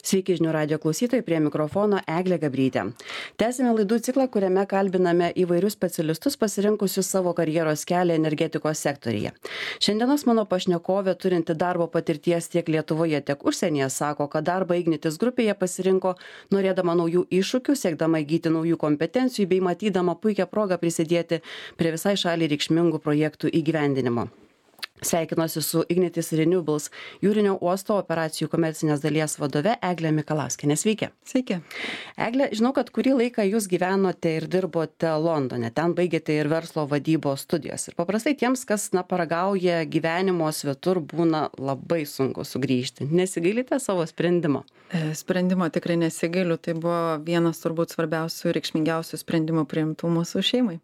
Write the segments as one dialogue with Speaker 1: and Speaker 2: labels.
Speaker 1: Sveiki žinių radio klausytojai, prie mikrofono Eglė Gabrytė. Tęsime laidų ciklą, kuriame kalbiname įvairius specialistus pasirinkusius savo karjeros kelią energetikos sektoriuje. Šiandienos mano pašnekovė, turinti darbo patirties tiek Lietuvoje, tiek užsienyje, sako, kad darbą Ignitis grupėje pasirinko norėdama naujų iššūkių, siekdama įgyti naujų kompetencijų bei matydama puikią progą prisidėti prie visai šaliai reikšmingų projektų įgyvendinimo. Sveikinuosi su Ignitis Renewables jūrinio uosto operacijų komercinės dalies vadove Eglė Mikalauskienė. Sveiki.
Speaker 2: Sveiki.
Speaker 1: Eglė, žinau, kad kurį laiką jūs gyvenote ir dirbote Londone. Ten baigėte ir verslo vadybos studijas. Ir paprastai tiems, kas paragauja gyvenimo svetur, būna labai sunku sugrįžti. Nesigailite savo sprendimo?
Speaker 2: Sprendimo tikrai nesigailiu. Tai buvo vienas turbūt svarbiausių ir reikšmingiausių sprendimų priimtų mūsų šeimai.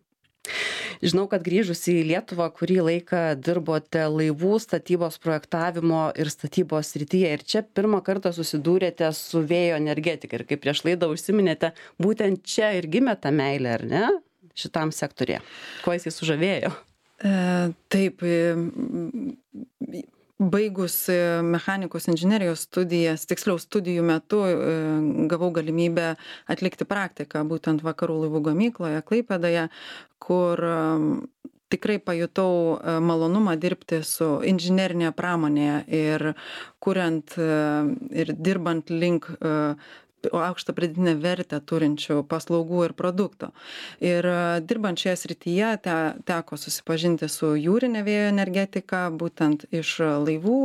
Speaker 1: Žinau, kad grįžus į Lietuvą kurį laiką dirbote laivų statybos projektavimo ir statybos srityje. Ir čia pirmą kartą susidūrėte su vėjo energetika. Ir kaip prieš laidą užsiminėte, būtent čia ir gimė ta meilė, ar ne, šitam sektorėje? Kuo jisai sužavėjo?
Speaker 2: Taip, baigus mechanikos inžinerijos studijas, tiksliau studijų metu gavau galimybę atlikti praktiką būtent Vakarų laivų gamykloje, Klaipėdoje, kur tikrai pajutau malonumą dirbti su inžinerinėje pramonėje ir kuriant ir dirbant link aukštą pridėtinę vertę turinčių paslaugų ir produktų. Ir dirbant šioje srityje teko susipažinti su jūrinė vėjo energetika, būtent iš laivų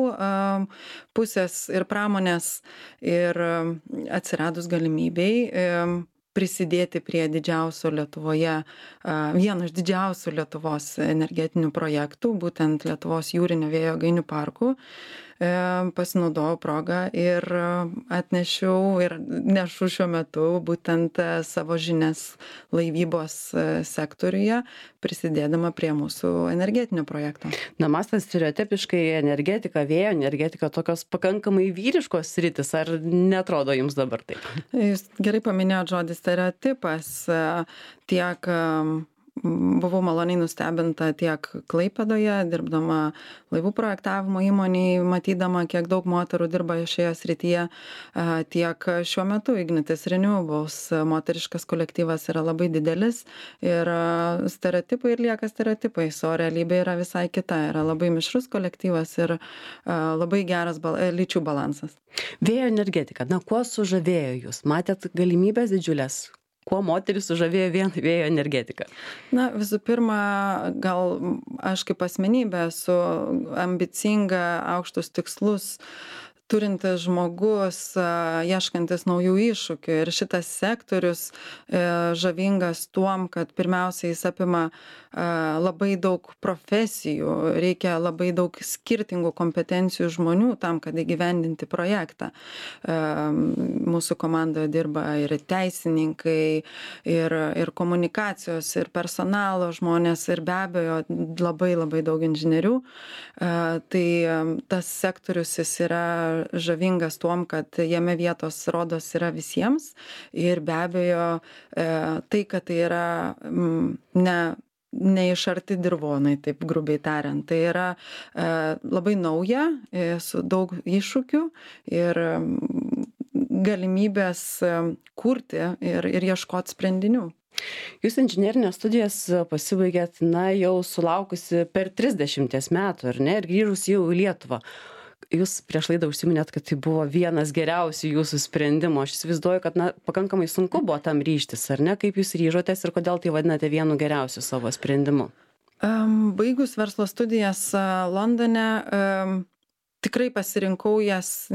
Speaker 2: pusės ir pramonės, ir atsiradus galimybei prisidėti prie didžiausio Lietuvoje, vieno iš didžiausių Lietuvos energetinių projektų, būtent Lietuvos jūrinio vėjo jėgainių parkų. Pasinaudojau progą ir atnešiau ir nešu šiuo metu būtent savo žinias laivybos sektoriuje, prisidėdama prie mūsų energetinio projekto.
Speaker 1: Na, mąstant stereotipiškai, energetika, vėjo energetika, tokios pakankamai vyriškos sritis, ar netrodo jums dabar taip?
Speaker 2: Jūs gerai paminėjot žodį stereotipas, tiek buvau maloniai nustebinta tiek Klaipėdoje, dirbdama laivų projektavimo įmonėje, matydama, kiek daug moterų dirba šioje srityje, tiek šiuo metu Ignitis Renewables moteriškas kolektyvas yra labai didelis ir stereotipai ir lieka stereotipais, o realybė yra visai kita, yra labai mišrus kolektyvas ir labai geras lyčių balansas.
Speaker 1: Vėjo energetika, na, kuo sužavėjo jūs? Matėt galimybės didžiulės? Kuo moteris sužavėjo vien vėjo energetika?
Speaker 2: Na, visų pirma, gal aš kaip asmenybė esu ambicinga, aukštus tikslus turintis žmogus, ieškantis naujų iššūkių. Ir šitas sektorius žavingas tuom, kad pirmiausia jis apima labai daug profesijų, reikia labai daug skirtingų kompetencijų žmonių tam, kad įgyvendinti projektą. Mūsų komandoje dirba ir teisininkai, ir komunikacijos, ir personalo žmonės, ir be abejo labai daug inžinierių. Tai tas sektorius jis yra žavingas tuom, kad jame vietos rodos yra visiems ir be abejo tai, kad tai yra ne iš arti dirvonai, taip grubiai tariant. Tai yra labai nauja, su daug iššūkių ir galimybės kurti ir ieškoti sprendinių.
Speaker 1: Jūs inžinerinės studijas pasibaigėt, na, jau sulaukusi per 30 metų, ar ne, ir grįžus jau į Lietuvą. Jūs prieš laidą užsiminėt, kad tai buvo vienas geriausių jūsų sprendimų. Aš įsivaizduoju, kad, na, pakankamai sunku buvo tam ryžtis, ar ne? Kaip jūs ryžotės ir kodėl tai vadinate vienu geriausiu savo sprendimu?
Speaker 2: Baigus verslo studijas Londone, tikrai pasirinkau jas.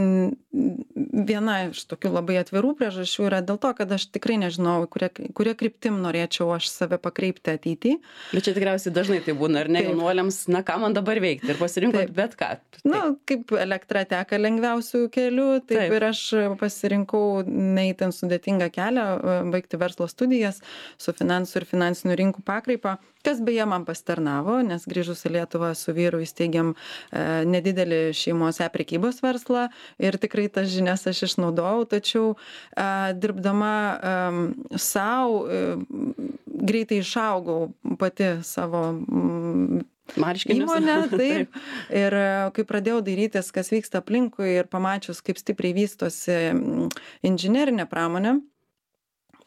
Speaker 2: Viena iš tokių labai atvirų priežasčių yra dėl to, kad aš tikrai nežinau, kuria kryptim norėčiau aš save pakreipti ateityje.
Speaker 1: Bet čia tikriausiai dažnai tai būna, ar ne, jaunuoliams, na, ką man dabar veikti, ir pasirinkot bet ką.
Speaker 2: Na, kaip elektra teka lengviausių kelių, taip ir aš pasirinkau neįtin sudėtingą kelią, baigti verslo studijas su finansų ir finansinių rinkų pakraipą, kas beje man pasitarnavo, nes grįžus į Lietuvą su vyru įsteigėm nedidelį šeimos prekybos verslą ir tikrai tas žinias aš išnaudojau, tačiau dirbdama savo greitai išaugau pati savo
Speaker 1: Marškinius.
Speaker 2: Įmonę, taip. Ir kai pradėjau dairytis, kas vyksta aplinkui ir pamačius, kaip stipriai vystosi inžinerinė pramonė,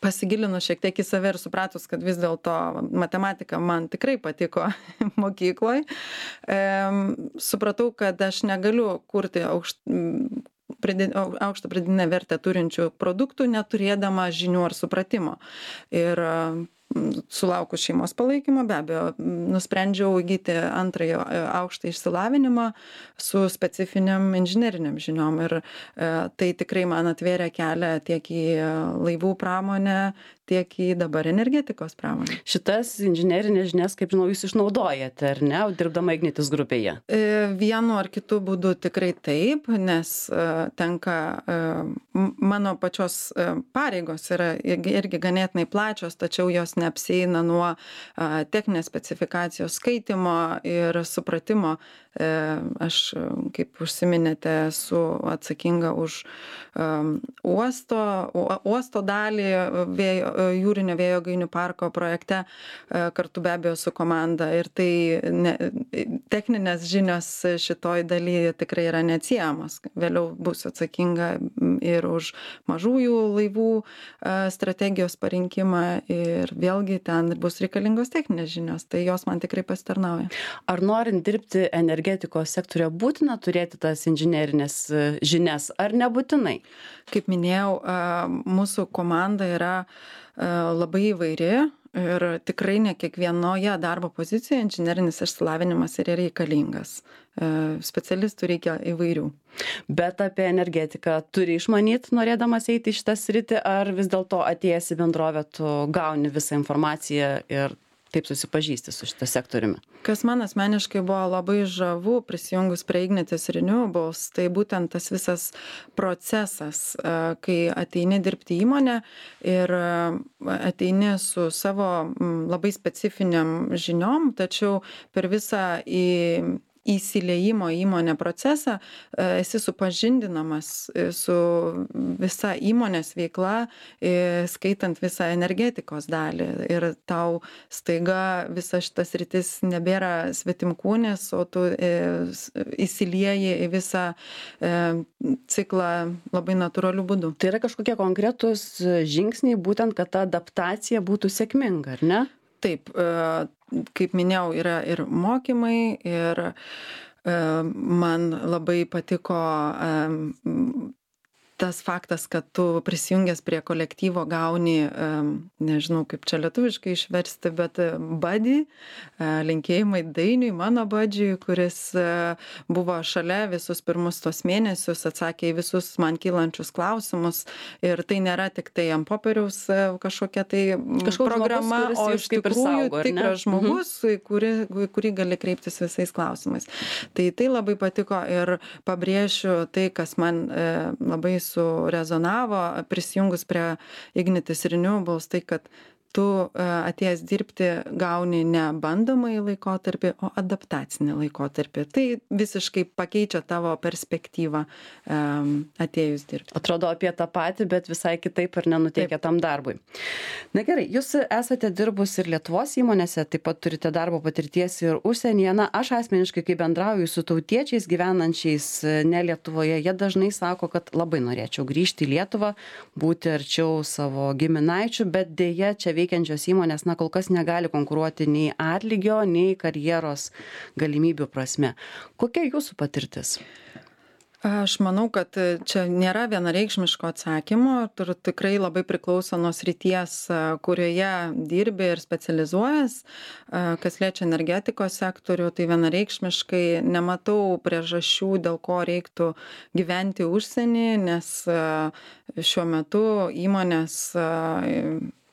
Speaker 2: pasigilinus šiek tiek į save ir supratus, kad vis dėlto matematika man tikrai patiko mokykloje, supratau, kad aš negaliu kurti aukštą pridėtinę vertę turinčių produktų, neturėdama žinių ar supratimo. Ir sulaukus šeimos palaikymo, be abejo, nusprendžiau įgyti antrąjį aukštą išsilavinimą su specifiniam inžineriniam žiniom. Ir tai tikrai man atvėrė kelią tiek į laivų pramonę, tiek į dabar energetikos pramonę.
Speaker 1: Šitas inžinerinės žinias, kaip žinau, jūs išnaudojate, ar ne, dirbdama Ignitis grupėje?
Speaker 2: Vienu ar kitu būdu tikrai taip, nes tenka, mano pačios pareigos yra irgi ganėtinai plačios, tačiau jos neapsieina nuo techninės specifikacijos skaitimo ir supratimo. Aš, kaip užsiminėte, esu atsakinga už uosto dalį jūrinio vėjo jėgainių parko projekte, kartu be abejo su komanda. Ir tai techninės žinios šitoj dalyje tikrai yra neatsiejamos. Vėliau bus atsakinga ir už mažųjų laivų strategijos parinkimą ir vėlgi ten bus reikalingos techninės žinios. Tai jos man tikrai pasitarnauja.
Speaker 1: Ar norint dirbti energetikos sektorioje būtina turėti tas inžinerinės žinias, ar nebūtinai?
Speaker 2: Kaip minėjau, mūsų komanda yra labai įvairi ir tikrai ne kiekvienoje darbo pozicijoje inžinerinis išsilavinimas yra reikalingas. Specialistų reikia įvairių.
Speaker 1: Bet apie energetiką turi išmanyti, norėdamas eiti į šitą sritį, ar vis dėlto atėjęs į bendrovę tu gauni visą informaciją ir taip susipažįsti su šitą sektoriumi?
Speaker 2: Kas man asmeniškai buvo labai žavu prisijungus prie Ignitis Renewables, tai būtent tas visas procesas, kai ateini dirbti įmonę ir ateini su savo labai specifiniam žiniom, tačiau per visą įsiliejimo įmonę procesą esi supažindinamas su visa įmonės veikla, skaitant visą energetikos dalį. Ir tau staiga visa šitas rytis nebėra svetimkūnis, o tu įsilieji į visą ciklą labai natūraliu būdu.
Speaker 1: Tai yra kažkokie konkretūs žingsniai, būtent, kad ta adaptacija būtų sėkminga, ar ne?
Speaker 2: Taip, kaip minėjau, yra ir mokymai, ir man labai patiko tas faktas, kad tu prisijungęs prie kolektyvo gauni, nežinau kaip čia lietuviškai išversti, bet buddy, linkėjimai Dainiui, mano budžiui, kuris buvo šalia visus pirmus tos mėnesius, atsakė į visus man kylančius klausimus. Ir tai nėra tik tai ant popieriaus kažkokia tai programa,
Speaker 1: žmogus,
Speaker 2: o iš tikrųjų
Speaker 1: saugo,
Speaker 2: tikras žmogus, kurį gali kreiptis visais klausimais. Tai labai patiko ir pabrėšiu tai, kas man labai surezonavo prisijungus prie Ignitis Renewables, tai kad tu atėjęs dirbti gauni ne bandomąjį laikotarpį, o adaptacinį laikotarpį. Tai visiškai pakeičia tavo perspektyvą atėjus dirbti.
Speaker 1: Atrodo apie tą patį, bet visai kitaip ir nenuteikia tam darbui. Na gerai, jūs esate dirbus ir Lietuvos įmonėse, taip pat turite darbo patirties ir užsienyje. Na, aš asmeniškai, kai bendrauju su tautiečiais gyvenančiais ne Lietuvoje, jie dažnai sako, kad labai norėčiau grįžti į Lietuvą, būti arčiau savo giminaičių, bet dėja čia veikiančios įmonės, na, kol kas negali konkuruoti nei atlygio, nei karjeros galimybių prasme. Kokia jūsų patirtis?
Speaker 2: Aš manau, kad čia nėra vienareikšmiško atsakymo, ir tikrai labai priklauso nuo srities, kurioje dirbi ir specializuojas. Kas liečia energetikos sektorių, tai vienareikšmiškai nematau priežasčių, dėl ko reiktų gyventi užsienį, nes šiuo metu įmonės,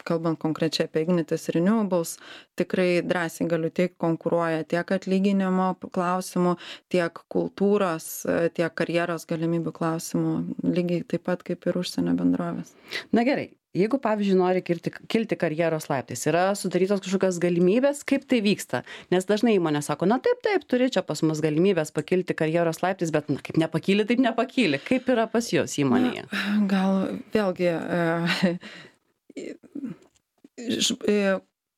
Speaker 2: kalbant konkrečiai apie Ignitis Renewables, tikrai drąsiai galiu teigti, konkuruoja tiek atlyginimo klausimų, tiek kultūros, tiek karjeros galimybių klausimų, lygiai taip pat kaip ir užsienio bendrovės.
Speaker 1: Na gerai, jeigu, pavyzdžiui, nori kilti karjeros laiptais, yra sudarytos kažkokios galimybės, kaip tai vyksta? Nes dažnai įmonė sako, na taip, turi čia pas mus galimybės pakilti karjeros laiptais, bet na, kaip nepakyli, taip nepakyli. Kaip yra pas jūs įmonėje?
Speaker 2: Gal vėlgi...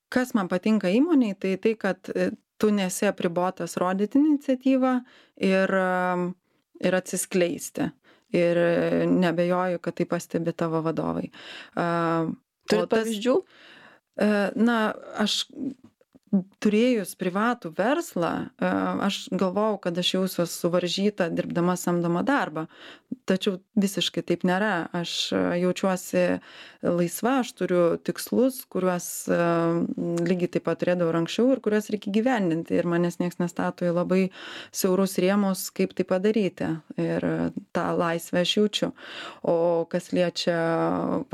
Speaker 2: Kas man patinka įmonėje, tai kad tu nesi apribotas rodyti iniciatyvą ir atsiskleisti. Ir nebejoju, kad tai pastebi tavo vadovai.
Speaker 1: Turit pavyzdžių?
Speaker 2: Aš turėjus privatų verslą, aš galvojau, kad aš jausiuos suvaržyta dirbdama samdomą darbą. Tačiau visiškai taip nėra. Aš jaučiuosi laisva, aš turiu tikslus, kuriuos lygiai taip pat turėdavau ir anksčiau ir kuriuos reikia gyvendinti. Ir manęs nieks nestato į labai siaurus rėmus, kaip tai padaryti. Ir tą laisvę aš jaučiu. O kas liečia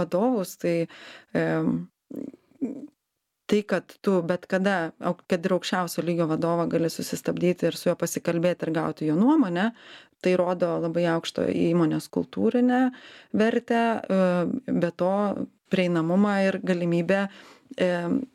Speaker 2: vadovus, tai, kad tu bet kada, kad ir aukščiausio lygio vadovą gali susistabdyti ir su juo pasikalbėti ir gauti jo nuomonę, tai rodo labai aukšto įmonės kultūrinę vertę, be to prieinamumą ir galimybę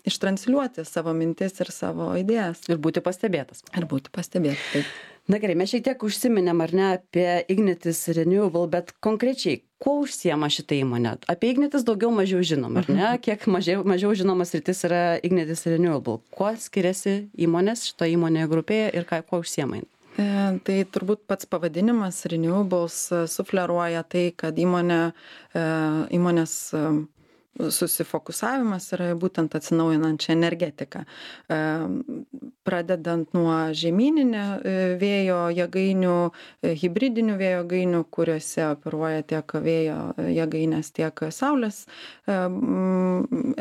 Speaker 2: ištransliuoti savo mintis ir savo idėjas.
Speaker 1: Ir būti pastebėtas.
Speaker 2: Taip.
Speaker 1: Na gerai, mes šiek tiek užsiminėm, ar ne, apie Ignitis Renewable, bet konkrečiai, kuo užsiema šitą įmonę? Apie Ignitis daugiau mažiau žinom, ar ne? Kiek mažiau žinomas sritis yra Ignitis Renewable. Kuo skiriasi įmonės šito įmonėje grupėje ir kuo užsiema?
Speaker 2: Tai turbūt pats pavadinimas Renewables sufleruoja tai, kad įmonės susifokusavimas yra būtent atsinaujinančią energetiką. Pradedant nuo žemyninio vėjo jėgainių, hibridinių vėjo jėgainių, kuriuose operuoja tiek vėjo jėgainės, tiek saulės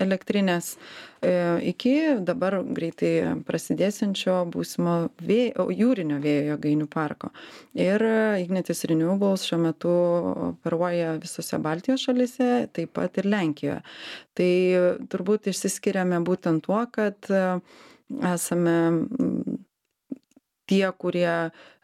Speaker 2: elektrinės, iki dabar greitai prasidėsiančio būsimo jūrinio vėjo jėgainių parko. Ir Ignitis Renewables šiuo metu operuoja visose Baltijos šalyse, taip pat ir Lenkijoje. Tai turbūt išsiskiriame būtent tuo, kad esame tie, kurie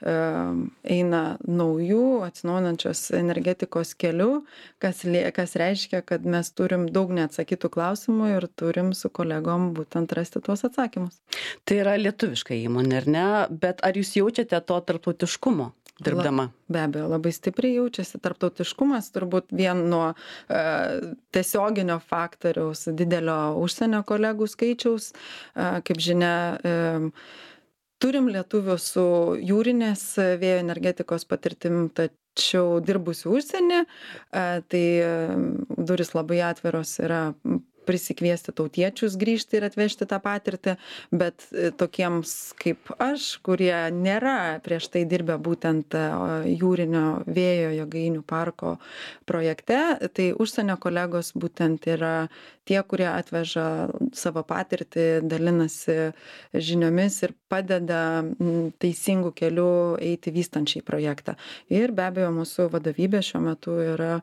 Speaker 2: eina naujų atsinaujinančios energetikos keliu, kas reiškia, kad mes turim daug neatsakytų klausimų ir turim su kolegom būtent rasti tuos atsakymus.
Speaker 1: Tai yra lietuviška įmonė, ar ne? Bet ar jūs jaučiate to tarptautiškumo dirbdama?
Speaker 2: Be abejo, labai stipriai jaučiasi tarptautiškumas, turbūt vien nuo tiesioginio faktoriaus didelio užsienio kolegų skaičiaus. Kaip žinia, turim lietuvių su jūrinės vėjo energetikos patirtim, tačiau dirbusių užsienį, tai durys labai atviros yra prisikviesti tautiečius grįžti ir atvežti tą patirtį, bet tokiems kaip aš, kurie nėra prieš tai dirbę būtent jūrinio vėjo jėgainių parko projekte, tai užsienio kolegos būtent yra tie, kurie atveža savo patirtį, dalinasi žiniomis ir padeda teisingų kelių eiti vystančiai projektą. Ir be abejo, mūsų vadovybė šiuo metu yra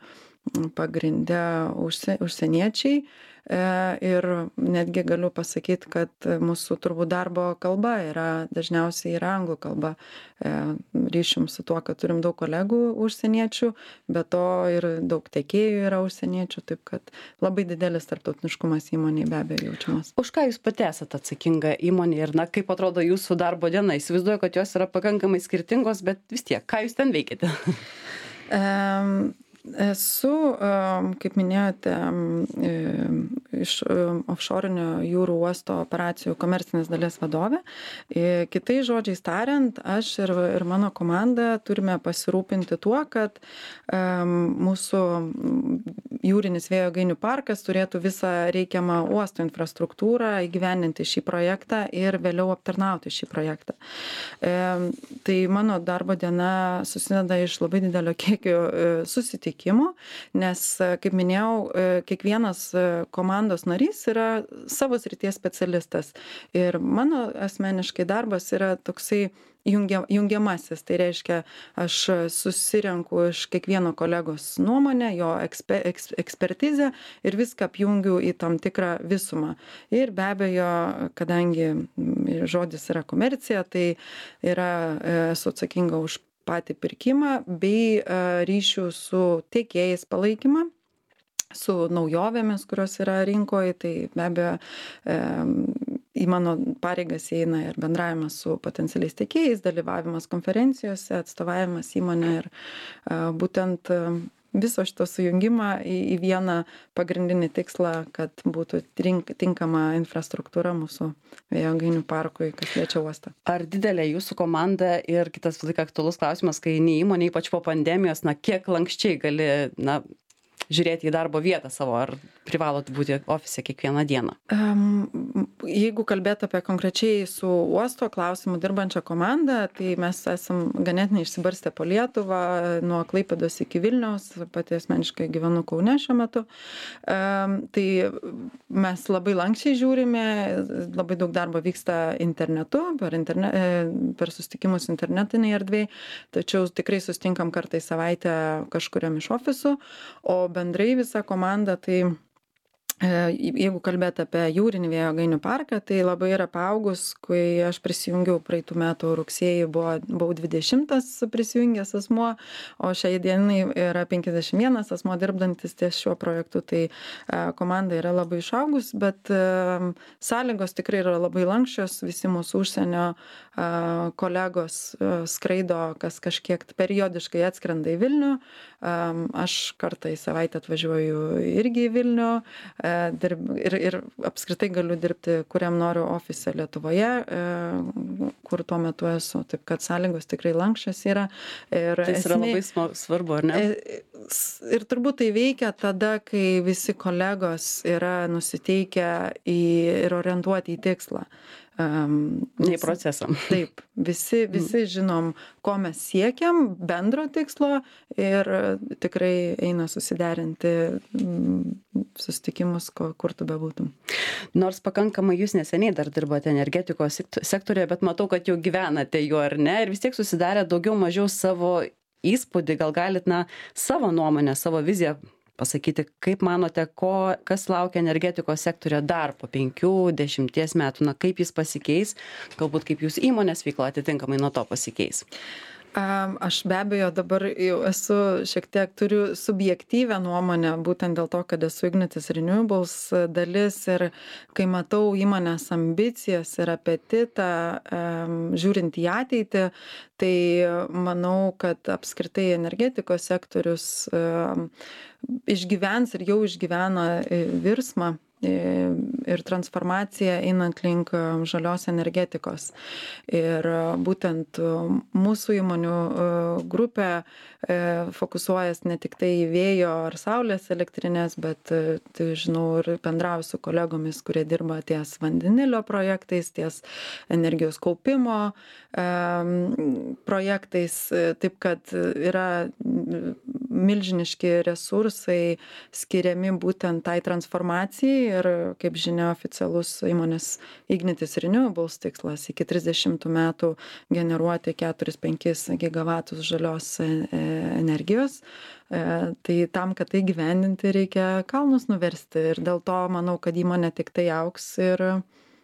Speaker 2: pagrindę užsieniečiai. Ir netgi galiu pasakyti, kad mūsų turbūt darbo kalba dažniausiai yra anglų kalba. Ryšim su tuo, kad turim daug kolegų užsieniečių, bet to ir daug tiekėjų yra užsieniečių, taip kad labai didelis tarptautiniškumas įmonėje be abejo jaučiamas.
Speaker 1: Už ką jūs pati esate atsakinga įmonė ir kaip atrodo jūsų darbo diena? Įsivaizduoju, kad jos yra pakankamai skirtingos, bet vis tiek, ką jūs ten veikiate?
Speaker 2: Esu, kaip minėjote, iš offshore'inio jūrų uosto operacijų komercinės dalies vadovė. Kitais žodžiais tariant, aš ir mano komanda turime pasirūpinti tuo, kad mūsų jūrinis vėjo jėgainių parkas turėtų visą reikiamą uosto infrastruktūrą įgyvendinti šį projektą ir vėliau aptarnauti šį projektą. Tai mano darbo diena susideda iš labai didelio kiekio susitikimų, nes, kaip minėjau, kiekvienas komandos narys yra savo srities specialistas. Ir mano asmeniškai darbas yra toksai jungiamasis. Tai reiškia, aš susirenku iš kiekvieno kolegos nuomonę, jo ekspertizę ir viską apjungiu į tam tikrą visumą. Ir be abejo, kadangi žodis yra komercija, tai esu atsakinga už patį pirkimą bei ryšių su tiekėjais palaikymą, su naujovėmis, kurios yra rinkoje. Tai be abejo į mano pareigas įeina ir bendravimas su potencialiais tiekėjais, dalyvavimas konferencijose, atstovavimas įmonė ir būtent viso šito sujungimą į vieną pagrindinį tikslą, kad būtų tinkama infrastruktūra mūsų vėjo jėgainių parkui, kas liečia uostą.
Speaker 1: Ar didelė jūsų komanda ir kitas visą laiką aktualus klausimas, kai įmonė, ypač po pandemijos, kiek lankščiai gali, žiūrėti į darbo vietą savo, ar privalot būti ofise kiekvieną dieną?
Speaker 2: Jeigu kalbėt apie konkrečiai su uosto klausimu dirbančią komandą, tai mes esam ganėtinai išsibarstę po Lietuvą, nuo Klaipėdos iki Vilniaus, pati asmeniškai gyvenu Kaune šiuo metu. Tai mes labai lankščiai žiūrime, labai daug darbo vyksta internetu, per susitikimus internetinėje erdvėje, tačiau tikrai susitinkam kartą į savaitę kažkuriam iš ofisų, o bendrai visa komanda, tai jeigu kalbėt apie jūrinį vėjo jėgainių parką, tai labai yra paaugus, kai aš prisijungiau praeitų metų rugsėjį, buvau 20 prisijungęs asmuo, o šiai dienai yra 51 asmuo dirbdantis ties šiuo projektu, tai komanda yra labai išaugus, bet sąlygos tikrai yra labai lankščios, visi mūsų užsienio kolegos skraido, kas kažkiek periodiškai atskrenda į Vilnių, aš kartą į savaitę atvažiuoju irgi į Vilnių, ir apskritai galiu dirbti, kuriam noriu ofise Lietuvoje, kur tuo metu esu. Taip, kad sąlygos tikrai lankščios yra.
Speaker 1: Tai yra labai svarbu, ar ne?
Speaker 2: Ir turbūt tai veikia tada, kai visi kolegos yra nusiteikę ir orientuoti į tikslą.
Speaker 1: Į procesą.
Speaker 2: Taip, visi žinom, ko mes siekiam, bendro tikslo ir tikrai eina susiderinti susitikimus, kur tu bebūtum.
Speaker 1: Nors pakankamai jūs neseniai dar dirbote energetikos sektoriuje, bet matau, kad jau gyvenate juo, ar ne? Ir vis tiek susidarė daugiau mažiau savo įspūdį, gal galit savo nuomonę, savo viziją pasakyti, kaip manote, kas laukia energetikos sektorė dar po 5-10 metų, kaip jis pasikeis, galbūt kaip jūsų įmonės veikla atitinkamai nuo to pasikeis?
Speaker 2: Aš be abejo dabar jau šiek tiek turiu subjektyvę nuomonę, būtent dėl to, kad esu Ignitis Renewables dalis ir kai matau įmonės ambicijas ir apetitą žiūrint į ateitį, tai manau, kad apskritai energetikos sektorius išgyvens ir jau išgyvena virsmą ir transformaciją einant link žalios energetikos. Ir būtent mūsų įmonių grupė fokusuojas ne tik tai į vėjo ar saulės elektrinės, bet tai žinau ir bendrauju su kolegomis, kurie dirba ties vandenilio projektais, ties energijos kaupimo projektais, taip kad yra milžiniški resursai skiriami būtent tai transformacijai ir, kaip žinia, oficialus įmonės Ignitis Renewables tikslas iki 30 metų generuoti 4-5 gigavatus žalios energijos. Tai tam, kad tai gyvendinti, reikia kalnus nuversti ir dėl to manau, kad įmonė tik tai augs ir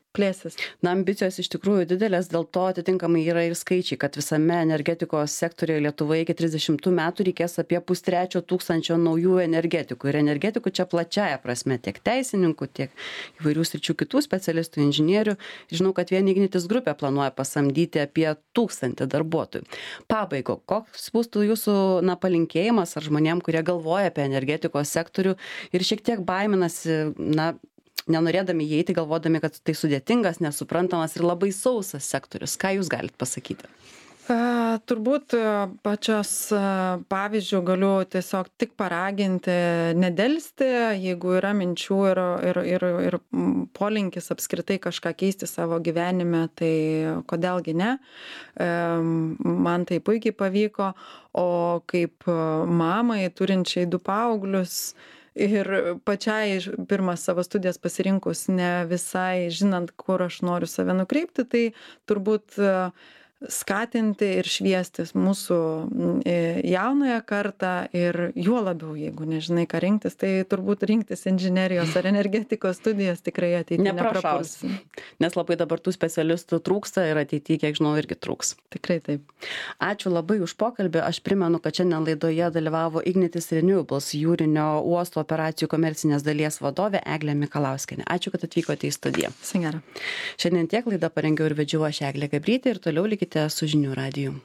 Speaker 2: plėsis.
Speaker 1: Ambicijos iš tikrųjų didelės, dėl to atitinkamai yra ir skaičiai, kad visame energetikos sektoriuje Lietuvoje iki 30 metų reikės apie 530 naujų energetikų. Ir energetikų čia plačiaja prasme, tiek teisininkų, tiek įvairių sričių kitų specialistų, inžinierių. Žinau, kad vien Ignitis grupė planuoja pasamdyti apie 1000 darbuotojų. Pabaigo, koks būtų jūsų palinkėjimas ar žmonėm, kurie galvoja apie energetikos sektorių ir šiek tiek baiminasi, nenorėdami įeiti, galvodami, kad tai sudėtingas, nesuprantamas ir labai sausas sektorius. Ką jūs galite pasakyti?
Speaker 2: Turbūt pačios pavyzdžių galiu tiesiog tik paraginti, nedelsti, jeigu yra minčių ir polinkis apskritai kažką keisti savo gyvenime, tai kodėlgi ne. Man tai puikiai pavyko, o kaip mamai turinčiai 2 paauglius, ir pačiai pirmas savo studijas pasirinkus ne visai žinant, kur aš noriu save nukreipti, tai turbūt skatinti ir šviestis mūsų jaunąją kartą ir juo labiau, jeigu nežinai, ką rinktis, tai turbūt rinktis inžinerijos ar energetikos studijas tikrai ateityje neprapuls.
Speaker 1: Nes labai dabar tų specialistų trūksta ir ateityje, kiek žinau, irgi trūks.
Speaker 2: Tikrai taip.
Speaker 1: Ačiū labai už pokalbį. Aš primenu, kad šiandien laidoje dalyvavo Ignitis Renewables jūrinio uosto operacijų komercinės dalies vadovė Eglė Mikalauskienė. Ačiū, kad atvykote į studiją.
Speaker 2: Singera.
Speaker 1: Šiandien tiek laidą parengiau ir vedžiau aš Eglė Gabrytė ir toliau likite su žinių radiju.